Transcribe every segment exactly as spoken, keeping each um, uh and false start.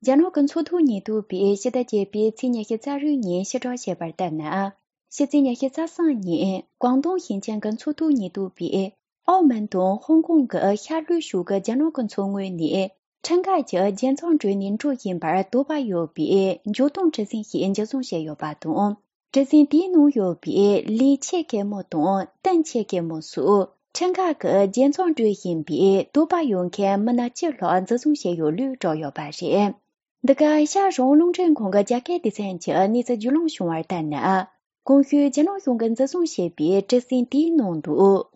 རྒྱ་ནག་གི་ཚོགས་འདུ་ཉེན་རྟོག་པས་ཕྱི་ཟླ་བརྒྱད་པའི་ཚེས་ཉི་ཤུ་རྩ་དྲུག་ཉིན་ཕྱིར་བསྒྲགས་བྱས་པར་ལྟར་ན། ཕྱི་ཚེས་ཉི་ཤུ་རྩ་གསུམ་ཉིན་ཀོང་ཏུང་ཞིང་ཆེན་གྱི་ཚོགས་འདུ་ཉེན་རྟོག་པས་ཨའོ་མན་དང་ཧོང་ཀོང་གི་ཤར་ལྷོ་ཕྱོགས་ཀྱི་རྒྱ་ནག་གི་མཚོ་ངོས་ནས་ཁྲིམས་འགལ་གྱི་རྒྱལ་འཚོང་སྤྲོད་ནས་འགྲོ་བཞིན་པར་དོགས་པ་ཡོད་པའི་འཇོག་སྟངས་གྲུ་གཟིངས་ཤིག་འཇུ་བཟུང་བྱས་ཡོད་པ་དང་། གྲུ་གཟིངས་དེའི་ནང་ཡོད་པའི་ལི་ཆེ་གེ་མོ་དང་ཏན་ཆེ་གེ་མོ་སོགས་ཁྲིམས་འགལ་གྱི་རྒྱལ་འཚོང་སྤྲོད་བཞིན་པའི་དོགས་པ་ཡོད་མཁན་མི་སྣ་བཅུ་ལྷག་འཇུ་བཟུང་བྱས་ཡོད་ལུགས་བསྒྲགས་ཡོད་པ་རེད། འདི་ག་ཤར་རོང་རླུང་འཕྲིན་ཁང་གི་རྒྱ་སྐད་སྡེ་ཚན་གྱི་གནས་ཚུལ་བརྒྱུད་ལམ་བྱུང་བར་ལྟར་ན། གོང་ཞུས་རྒྱ་ནག་གཞུང་གིས་འཛིན་བཟུང་བྱས་པའི་གྲུ་གཟིངས་དེའི་ནང་དུ་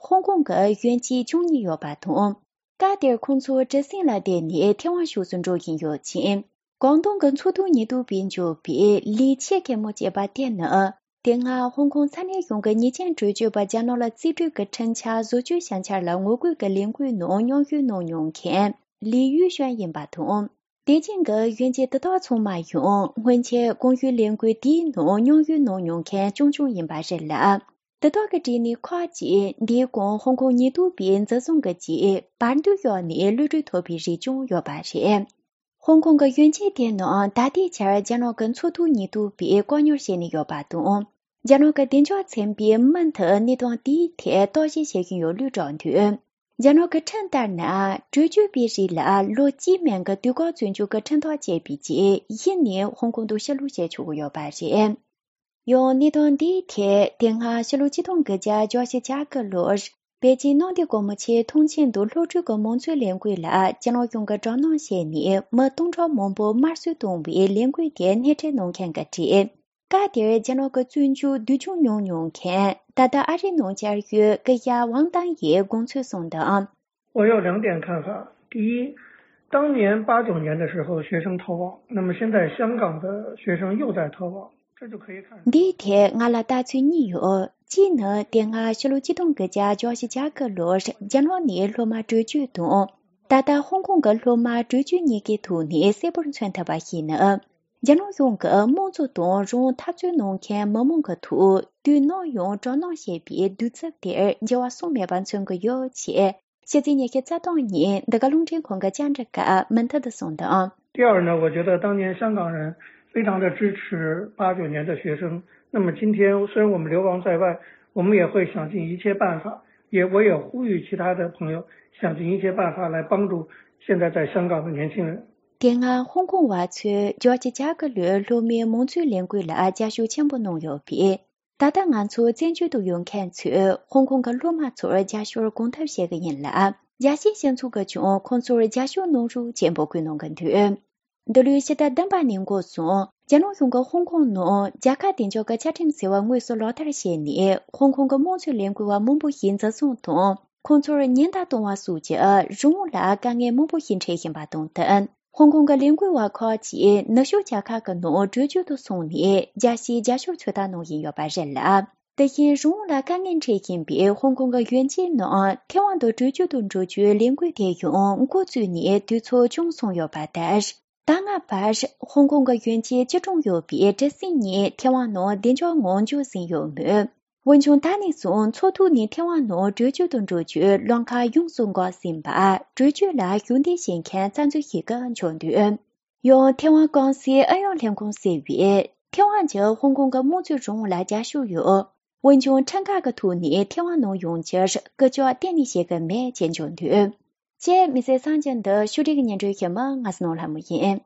ཧོང་ཀོང་གི་གཞོན་སྐྱེས་བཅུ་གཉིས་ཡོད་པ་དང་། སྐབས་དེར་ཁོང་ཚོ་གྲུ་གཟིངས་ལ་བསྡད་ནས་ཐེ་ཝན་ཕྱོགས་སུ་འགྲོ་བཞིན་ཡོད་ཅིང་། ཀོང་ཏུང་གི་མཚོ་ཐོག་ཉེན་རྟོག་པས་འཇོག་པའི་ལི་ཆེ་གེ་མོ་ཅེས་པ་དེ་ནི། དེ་སྔ་ཧོང་ཀོང་ས་གནས་གཞུང་གི་ཉེས་ཅན་བྲོས་བྱོལ་བ་རྒྱ་ནག་ལ་རྩིས་སྤྲོད་ཀྱི་ཁྲིམས་འཆར་བཟོ་བཅོས་བྱ་འཆར་ལ་ངོ་རྒོལ་གྱི་ལས་འགུལ་ནང་མཉམ་ཞུགས་གནང་མྱོང་མཁན་ལི་ཡུས་ཞོན་ཡིན་པ་དང་། པེ་ཅིང་གི་གཞོན་སྐྱེས་དེ་དག་ཚང་མ་ཡང་སྔོན་ཆད་གོང་ཞུས་ལས་འགུལ་དེའི་ནང་མཉམ་ཞུགས་གནང་མྱོང་མཁན་རྐྱང་རྐྱང་ཡིན་པ་རེད་ལ། དེ་དག་གི་གྲས་ནས་ཁག་ཅིག་འདས་གོང་ཧོང་ཀོང་ཉེན་རྟོག་པས་འཛིན་བཟུང་གི་རྗེས་བར་འདུམ་བཞག་ནས་གློད་གྲོལ་ཐོབ་པའི་རིགས་ཀྱང་ཡོད་པ་རེད། ཧོང་ཀོང་གི་གཞོན་སྐྱེས་དེ་རྣམས་ད་ལྟའི་ཆར་རྒྱ་ནག་གི་མཚོ་ཐོག་ཉེན་རྟོག་པས་བཀག་ཉར་བྱས་ནས་ཡོད་པ་དང་། རྒྱ་ནག་གི་བདེ་འཇགས་ཚན་པས་མུ་མཐུད་གནས་སྟངས་དེའི་ཐད་བརྟག་ཞིབ་བྱེད་བཞིན་ཡོད་ལུགས་བསྒྲགས་འདུག་རྒྱ་ནག་གི་ཁྲིམས་ལྟར་ན། བྲོས་བྱོལ་བའི་རིགས་ལ་ལོ་གཅིག་མན་གྱི་དུས་བཀག་བཙོན་འཇུག་གི་ཁྲིམས་ཐག་བཅད་པའི་རྗེས་གཞི་ནས་ཧོང་ཀོང་དུ་ཕྱིར་ལོག་བྱེད་ཆོག་གི་ཡོད་པ་རེད། ཡང་གནད་དོན་འདིའི་ཐད་དེ་སྔ་ཕྱི་ལོ་ཆིག་སྟོང་དགུ་བརྒྱ་བརྒྱད་ཅུ་གྱ་དགུ་ལོར་པེ་ཅིན་གནམ་བདེ་སྒོ་མོ་ཆེའི་ཐང་ཆེན་དུ་སློབ་ཕྲུག་གི་མང་གཙོའི་ལས་འགུལ་ལ་རྒྱ་ནག་གཞུང་གིས་དྲག་གནོན་བྱས་ནས་མི་སྟོང་ཕྲག་མང་པོ་དམར་གསོད་བཏང་བའི་ལས་འགུལ་དེ་སྣེ་ཁྲིད་གནང་མཁན་གྱི་གྲས། སྐབས་དེར་རྒྱ་ནག་གི་བཙོན་འཇུག་བསྡུ་སྐྱོང་མྱོང་མྱོང་མཁན་ད་ལྟ་ཨ་རིའི་ནང་བཅའ་བཞུགས་སྐུ་ཞབས་ཝང་ཏང་ཡིས་དགོངས་ཚུལ་གསུངས་དོན། 我有两点看法。第一，当年八九年的时候，学生逃亡，那么现在香港的学生又在逃亡，这就可以看出。 འདིའི་ཐད་ང་ལ་ལྟ་ཚུལ་གཉིས་ཡོད། གཅིག་ནི་དེ་སྔ་ཕྱི་ལོ་ཆིག་སྟོང་དགུ་བརྒྱ་བརྒྱད་ཅུ་གྱ་དགུ་ལོར་རྒྱ་ནག་ནས་སློབ་མ་བྲོས་བྱོལ་དང་། ད་ལྟ་ཧོང་ཀོང་གི་སློབ་མ་བྲོས་བྱོལ་གཉིས་ཀའི་ཐོག་ནས་གསལ་པོར་མཚོན་ཐུབ་པ་ཞིག་ནི། རྒྱ་ནག་གཞུང་གིས་དམངས་གཙོ་དང་རང་དབང་འཐབ་རྩོད་གནང་མཁན་མི་མང་གི་ཐོག་དུས་ནམ་ཡང་དྲག་གནོན་བྱེད་པའི་གདུག་རྩུབ་དེར་འགྱུར་བ་སོང་མེད་པ་མཚོན་གྱི་ཡོད་ཅེས། ཕྱི་ཚེས་ཉི་ཤུ་རྩ་གཅིག་ཉིན་འདི་ག་རླུང་འཕྲིན་ཁང་གི་བཅར་འདྲི་སྐབས་མུ་མཐུད་དུ་གསུངས་དོན། 第二呢，我觉得当年香港人非常的支持八九年的学生。那么今天虽然我们流亡在外，我们也会想尽一切办法，也我也呼吁其他的朋友想尽一切办法来帮助现在在香港的年轻人。 དེ་སྔ་ཧོང་ཀོང་བ་ཚོས་བརྒྱད་ཅུ་གྱ་དགུ་ལོའི་སློབ་མའི་མང་གཙོའི་ལས་འགུལ་ལ་རྒྱབ་སྐྱོར་ཆེན་པོ་གནང་ཡོད་པས། ད་ལྟ་ང་ཚོ་བཙན་བྱོལ་དུ་ཡོད་མཁན་ཚོས་ཧོང་ཀོང་གི་སློབ་མ་ཚོར་རྒྱབ་སྐྱོར་གང་ཐུབ་བྱེད་ཀྱི་ཡིན་ལ། རྒྱལ་སྤྱིའི་སྤྱི་ཚོགས་ཀྱིས་ཀྱང་ཁོང་ཚོར་རྒྱབ་སྐྱོར་གནང་རོགས་ཅེས་འབོད་སྐུལ་གནང་གི་འདུག་འདི་ལོའི་ཕྱི་ཟླ་བདུན་པ་ནས་འགོ་བཟུང་རྒྱ་ནག་གཞུང་གིས་ཧོང་ཀོང་ནང་རྒྱལ་ཁབ་བདེ་འཇགས་ཀྱི་བཅའ་ཁྲིམས་ཟེར་བ་དངོས་སུ་ལག་བསྟར་བྱས་ནས་ཧོང་ཀོང་གི་དམངས་གཙོའི་ལས་འགུལ་བ་མང་པོ་ཞིག་འཛིན་བཟུང་དང་ཁོང་ཚོར་ཉེན་བརྡ་གཏོང་བ་སོགས་ཀྱི་རང་དབང་ལ་དཀའ་ངལ་མང་པོ་ཞིག་འཕྲད་བཞིན་པ་དང་བསྟུན། ཧོང་ཀོང་གི་ལས་འགུལ་བ་ཁག་ཅིག་ནུབ་ཕྱོགས་རྒྱལ་ཁབ་ཀྱི་ནང་བྲོས་བྱོལ་དུ་སོང་ནས་རྒྱལ་སྤྱིའི་རྒྱབ་སྐྱོར་ཚོད་ལྟ་གནང་བཞིན་ཡོད་པ་རེད་ལ། དེ་བཞིན་རང་དབང་ལ་དཀའ་ངལ་འཕྲད་བཞིན་པའི་ཧོང་ཀོང་གི་གཞོན་སྐྱེས་རྣམས་ཐེ་ཝན་དུ་བྲོས་བྱོལ་དུ་འགྲོ་རྒྱུའི་ལས་འགུལ་དེ་ཡང་འགོ་བཙུགས་ནས་དུས་ཚོད་ཅུང་སོང་ཡོད་པ་ལྟར། ད་སྔ་བར་ཧོང་ཀོང་གི་གཞོན་སྐྱེས་བཅུ་གྲངས་ཡོད་པའི་གྲུ་གཟིངས་གཉིས་ཐེ་ཝན་ནང་བདེ་འཇགས་ངང་འགྱོ་ཟིན་ཡོད་མོད། འོན་ཀྱང་ད་ནས་བཟུང་མཚོ་ཐོག་ནས་ཐེ་ཝན་ནང་བྲོས་བྱོལ་དུ་འགྲོ་རྒྱུའི་ལམ་ཁ་ཡོངས་སུ་འགག་ཟིན་པ་བྲོས་བྱོལ་ལ་ཞུགས་འདོད་བྱེད་མཁན་རྩ་འཛུགས་ཤིག་གིས་འཇོག་འདུག་ཡང་ཐེ་ཝན་ཀུང་སིའི་ཨུ་ཡོན་ལྷན་ཁང་ཟེར་བས་ཐེ་ཝན་གྱིས་ཧོང་ཀོང་གི་དམངས་གཙོའི་རང་དབང་ལ་རྒྱབ་སྐྱོར་ཡོད། འོན་ཀྱང་ཁྲིམས་འགལ་གྱི་ཐོག་ནས་ཐེ་ཝན་ནང་ཡོང་རྒྱུར་སྐུལ་ལྕག་གཏན་ནས་བྱེད་ཀྱི་མེད་ཅེས་འཇོག་འདུག་ཅེས་མི་ཚེ་གསར་འགྱུར་འདི་ཕྱོགས་སྒྲིག་སྙན་སྒྲོན་ཞུ་མི་ང་སྣང་ལྷ་མོ་ཡིན།